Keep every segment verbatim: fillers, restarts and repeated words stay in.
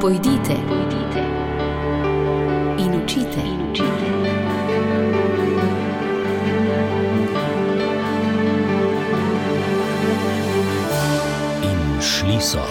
Pojdite, pojdite in učite, in učite. In šli so.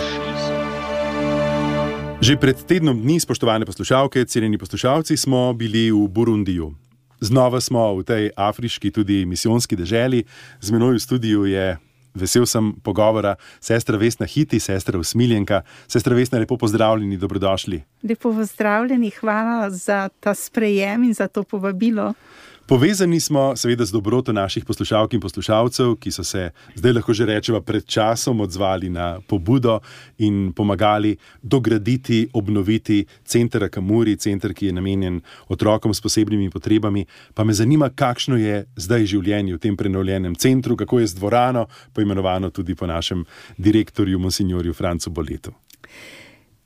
Že pred tednom dni, spoštovane poslušalke, cenjeni poslušalci, smo bili v Burundiju. Znova smo v tej afriški, tudi misijonski deželi. Z menoj v studiu je, vesel sem pogovora, sestra Vesna Hiti, sestra Usmiljenka. Sestra Vesna, lepo pozdravljeni, dobrodošli. Lepo pozdravljeni, hvala za ta sprejem in za to povabilo. Povezani smo seveda z dobroto naših poslušalk in poslušalcev, ki so se, zdaj lahko že rečeva, pred časom odzvali na pobudo in pomagali dograditi, obnoviti center Akamuri, center, ki je namenjen otrokom s posebnimi potrebami. Pa me zanima, kakšno je zdaj življenje v tem prenovljenem centru, kako je z dvorano, poimenovano tudi po našem direktorju, monsinjorju Francu Boletu.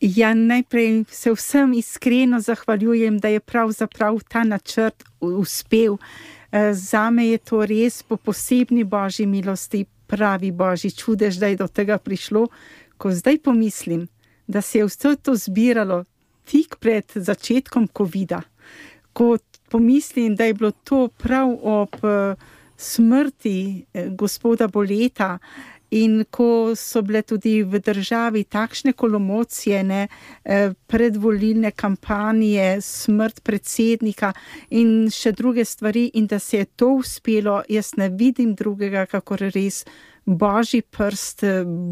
Ja, najprej se vsem iskreno zahvaljujem, da je pravzaprav ta načrt uspel. Zame je to res po posebni božji milosti, pravi božji čudež, da je do tega prišlo. Ko zdaj pomislim, da se je vse to zbiralo tik pred začetkom covida, ko pomislim, da je bilo to prav ob smrti gospoda Boleta, in ko so bile tudi v državi takšne kolomocije, ne, predvolilne kampanje, smrt predsednika in še druge stvari, in da se je to uspelo, jaz ne vidim drugega, kakor res božji prst,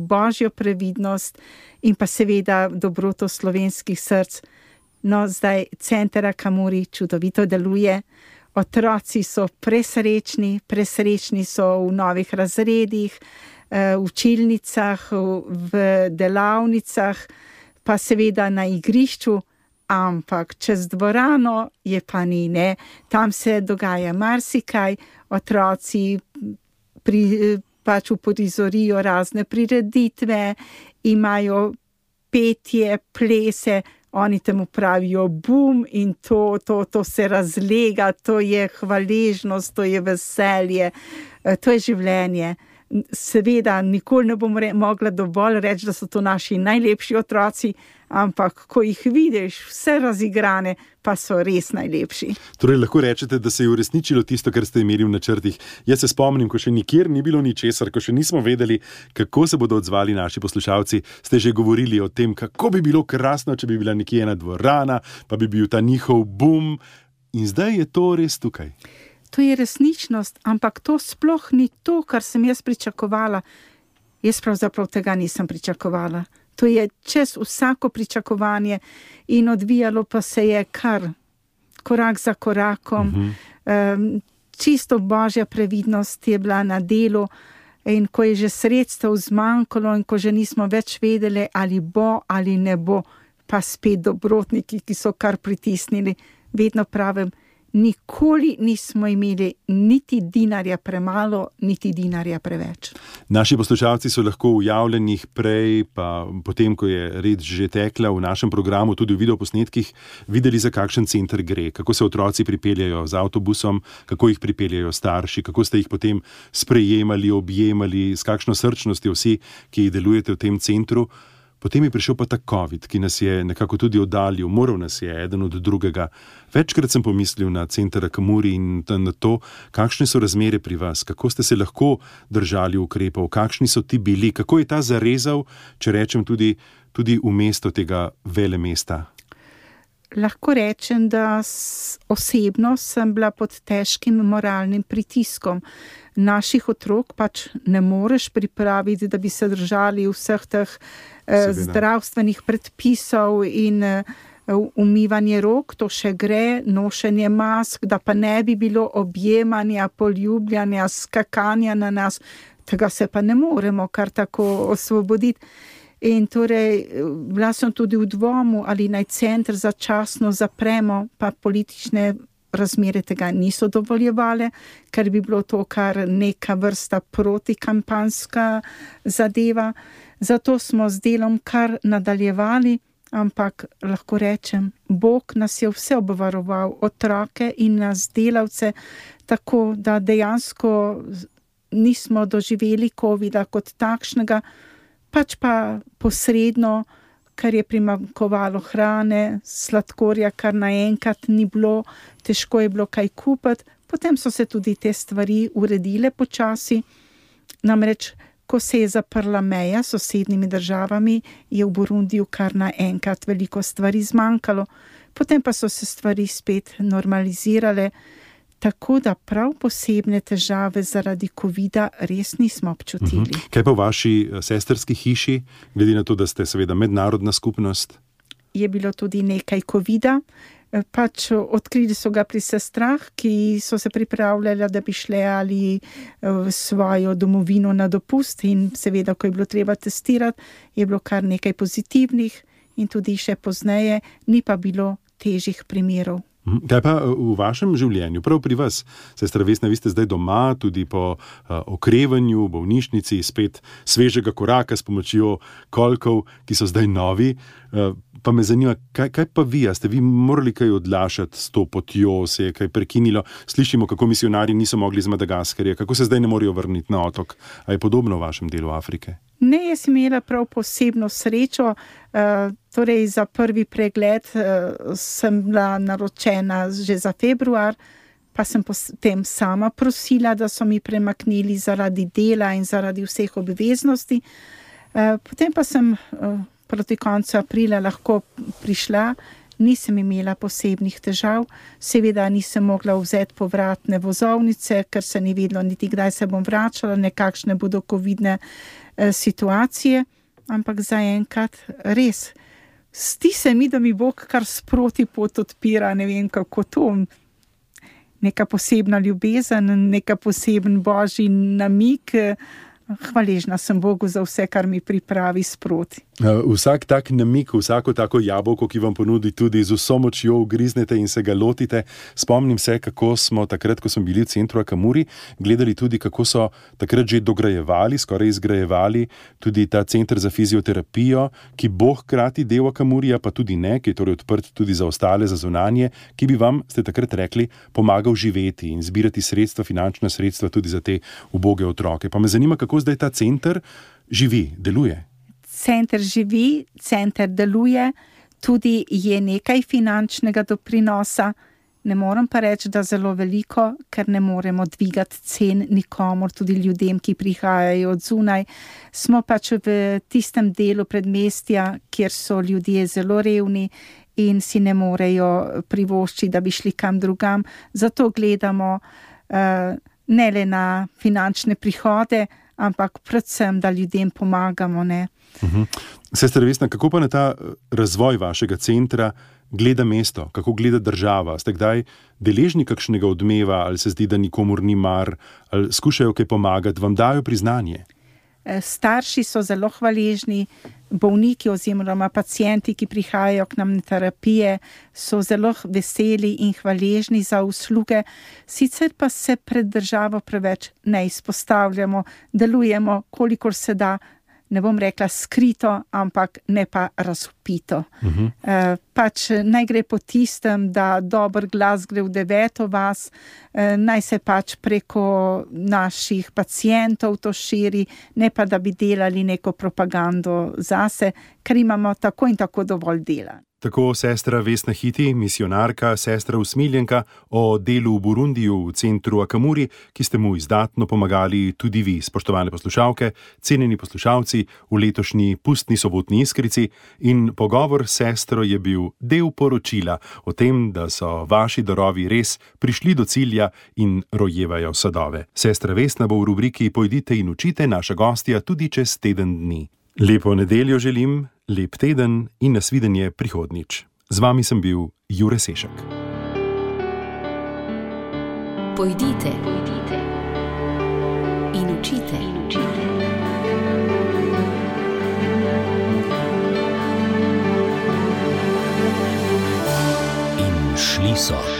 božjo previdnost in pa seveda dobroto slovenskih src. No, zdaj center Akamuri čudovito deluje. Otroci so presrečni, presrečni so v novih razredih, v učilnicah, v delavnicah, pa seveda na igrišču, ampak čez dvorano je pa ni, ne. Tam se dogaja marsikaj, otroci pri, pač uprizorijo razne prireditve, imajo petje, plese, oni temu pravijo bum in to, to, to se razlega, to je hvaležnost, to je veselje, to je življenje. Seveda, nikoli ne bom re, mogla dovolj reči, da so to naši najlepši otroci, ampak ko jih vidiš, vse razigrane, pa so res najlepši. Torej, lahko rečete, da se je uresničilo tisto, kar ste imeli v načrtih. Jaz se spomnim, ko še nikjer ni bilo ničesar, ko še nismo vedeli, kako se bodo odzvali naši poslušalci, ste že govorili o tem, kako bi bilo krasno, če bi bila nekje ena dvorana, pa bi bil ta njihov bum. In zdaj je to res tukaj. To je resničnost, ampak to sploh ni to, kar sem jaz pričakovala. Jaz pravzaprav tega nisem pričakovala. To je čez vsako pričakovanje in odvijalo pa se je kar korak za korakom. Uh-huh. Um, čisto božja previdnost je bila na delu in ko je že sredstev zmanjkalo in ko že nismo več vedeli, ali bo ali ne bo, pa spet dobrotniki, ki so kar pritisnili, vedno pravim, nikoli nismo imeli niti dinarja premalo, niti dinarja preveč. Naši poslušalci so lahko v javljenih prej, pa potem, ko je red že tekla v našem programu, tudi v videoposnetkih, videli, za kakšen center gre, kako se otroci pripeljajo z avtobusom, kako jih pripeljajo starši, kako ste jih potem sprejemali, objemali, s kakšno srčnostjo vsi, ki jih delujete v tem centru. Potem je prišel pa ta COVID, ki nas je nekako tudi oddaljil, moral nas je eden od drugega. Večkrat sem pomislil na center Akamuri in na to, kakšne so razmere pri vas, kako ste se lahko držali ukrepov, kakšni so ti bili, kako je ta zarezal, če rečem tudi, tudi v mesto tega velemesta. Lahko rečem, da osebno sem bila pod težkim moralnim pritiskom. Naših otrok pač ne moreš pripraviti, da bi se držali vseh teh eh, zdravstvenih predpisov in eh, umivanje rok, to še gre, nošenje mask, da pa ne bi bilo objemanja, poljubljanja, skakanja na nas, tega se pa ne moremo kar tako osvoboditi. In torej, bila sem tudi v dvomu, ali naj center začasno zapremo, pa politične razmere tega niso dovoljevale, ker bi bilo to kar neka vrsta protikampanska zadeva. Zato smo z delom kar nadaljevali, ampak lahko rečem, Bog nas je vse obvaroval, otroke in nas delavce, tako da dejansko nismo doživeli covida kot takšnega, pač pa posredno ker je primanjkovalo hrane, sladkorja, kar naenkrat ni bilo, težko je bilo kaj kupiti. Potem so se tudi te stvari uredile počasi. Namreč, ko se je zaprla meja s sosednjimi državami, je v Burundiju kar naenkrat veliko stvari zmanjkalo. Potem pa so se stvari spet normalizirale, tako da prav posebne težave zaradi covida res nismo občutili. Uh-huh. Kaj pa v vaši sestrski hiši, glede na to, da ste seveda mednarodna skupnost? Je bilo tudi nekaj covida, pač odkrili so ga pri sestrah, ki so se pripravljali, da bi šle ali v svojo domovino na dopust in seveda, ko je bilo treba testirati, je bilo kar nekaj pozitivnih in tudi še pozneje, ni pa bilo težjih primerov. Kaj pa v vašem življenju, prav pri vas? Sestra Vesna, vi ste zdaj doma, tudi po uh, okrevanju, bolnišnici, spet svežega koraka s pomočjo kolkov, ki so zdaj novi. Uh, pa me zanima, kaj, kaj pa vi? A ste vi morali kaj odlašati s to potjo, se je kaj prekinilo? Slišimo, kako misionarji niso mogli z Madagaskarja, kako se zdaj ne morejo vrniti na otok. A je podobno v vašem delu Afrike? Ne, jaz sem imela prav posebno srečo, uh, torej za prvi pregled uh, sem bila naročena že za februar, pa sem potem sama prosila, da so mi premaknili zaradi dela in zaradi vseh obveznosti. Uh, potem pa sem uh, proti koncu aprila lahko prišla, nisem imela posebnih težav, seveda nisem mogla vzeti povratne vozovnice, ker se ni vedelo niti kdaj se bom vračala, nekakšne bodo covidne situacije, ampak zaenkrat res. Zdi se mi, da mi Bog kar sproti pot odpira, ne vem kako to, neka posebna ljubezen, neka poseben božji namig. Hvaležna sem Bogu za vse, kar mi pripravi sproti. Vsak tak namik, vsako tako jabolko, ki vam ponudi, tudi z vso močjo ugriznete in se ga lotite. Spomnim se, kako smo takrat, ko smo bili v centru Akamuri, gledali tudi, kako so takrat že dograjevali, skoraj izgrajevali tudi ta center za fizioterapijo, ki bo hkrati del Akamurija, pa tudi ne, ki je torej odprt tudi za ostale, za zunanje, ki bi vam, ste takrat rekli, pomagal živeti in zbirati sredstva, finančna sredstva tudi za te uboge otroke. Pa me zanima, kako zdaj ta center živi, deluje? Center živi, center deluje, tudi je nekaj finančnega doprinosa. Ne morem pa reči, da zelo veliko, ker ne moremo dvigati cen nikomor, tudi ljudem, ki prihajajo od zunaj. Smo pač v tistem delu predmestja, kjer so ljudje zelo revni in si ne morejo privoščiti, da bi šli kam drugam. Zato gledamo uh, ne le na finančne prihode, ampak predvsem, da ljudem pomagamo, ne. Uh-huh. Sestra Vesna, kako pa na ta razvoj vašega centra gleda mesto, kako gleda država? Ste kdaj deležni kakšnega odmeva, ali se zdi, da nikomur ni mar, ali skušajo kaj pomagati, vam dajo priznanje? Starši so zelo hvaležni, bolniki oziroma pacienti, ki prihajajo k nam na terapije, so zelo veseli in hvaležni za usluge. Sicer pa se pred državo preveč ne izpostavljamo, delujemo, kolikor se da, ne bom rekla skrito, ampak ne pa razvpito. Uh-huh. E, pač naj gre po tistem, da dober glas gre v deveto vas, e, naj se pač preko naših pacientov to širi, ne pa da bi delali neko propagando zase, ker imamo tako in tako dovolj dela. Tako sestra Vesna Hiti, misionarka, sestra usmiljenka o delu v Burundiju v centru Akamuri, ki ste mu izdatno pomagali tudi vi, spoštovane poslušalke, cenjeni poslušalci, v letošnji pustni sobotni iskrici, in pogovor s sestro je bil del poročila o tem, da so vaši darovi res prišli do cilja in rojevajo sadove. Sestra Vesna bo v rubriki Pojdite in učite naša gostja tudi čez teden dni. Lepo nedeljo želim, lep teden in nasvidenje prihodnjič. Z vami sem bil Jure Sešek. Pojdite, pojdite in učite, in učite. In šli so.